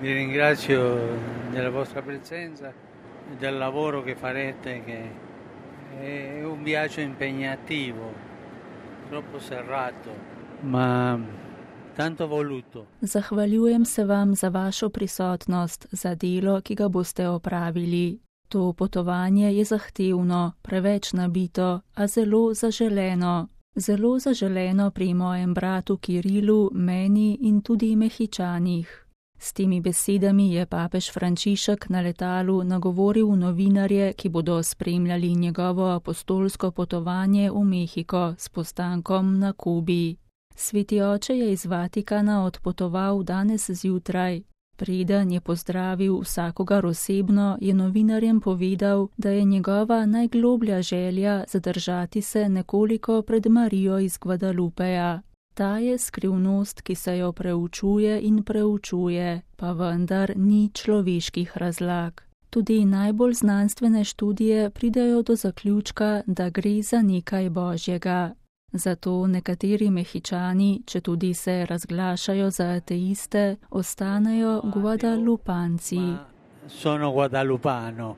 Vi ringrazio della vostra presenza e del lavoro che farete, che è un viaggio impegnativo, troppo serrato, ma tanto voluto. Zahvaljujem se vam za vašo prisotnost, za delo, ki ga boste opravili. To potovanje je zahtevno, preveč nabito, a zelo zaželeno. Zelo zaželeno pri mojem bratu Kirilu, meni in tudi Mehičanih. S temi besedami je papež Frančišek na letalu nagovoril novinarje, ki bodo spremljali njegovo apostolsko potovanje v Mehiko s postankom na Kubi. Sveti oče je iz Vatikana odpotoval danes zjutraj. Preden je pozdravil vsakogar osebno, je novinarjem povedal, da je njegova najgloblja želja zadržati se nekoliko pred Marijo iz Guadalupeja. Ta je skrivnost, ki se jo preučuje in preučuje, pa vendar ni človeških razlag. Tudi najbolj znanstvene študije pridejo do zaključka, da gre za nekaj božjega. Zato nekateri Mehičani, četudi se razglašajo za ateiste, ostanejo Guadalupanci. Sono guadalupano.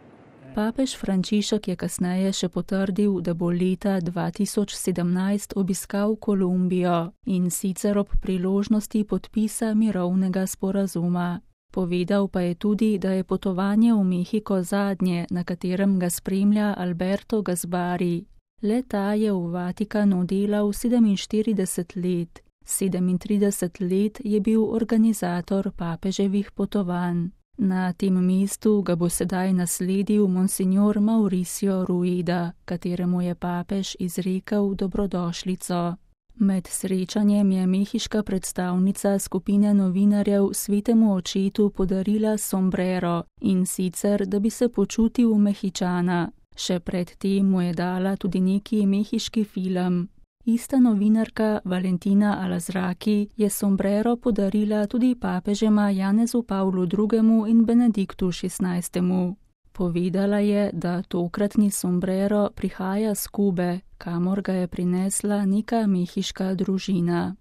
Papež Frančišek je kasneje še potrdil, da bo leta 2017 obiskal Kolumbijo in sicer ob priložnosti podpisa mirovnega sporazuma. Povedal pa je tudi, da je potovanje v Mehiko zadnje, na katerem ga spremlja Alberto Gasbari. Le ta je v Vatikanu delal 47 let. 37 let je bil organizator papeževih potovanj. Na tem mestu ga bo sedaj nasledil monsignor Mauricio Rueda, kateremu je papež izrekel dobrodošlico. Med srečanjem je mehiška predstavnica skupine novinarjev svetemu očetu podarila sombrero, in sicer, da bi se počutil Mehičana. Še pred tem mu je dala tudi neki mehiški film. Ista novinarka Valentina Alazraki je sombrero podarila tudi papežema Janezu Pavlu II. In Benediktu XVI. Povedala je, da tokratni sombrero prihaja s Kube, kamor ga je prinesla neka mehiška družina.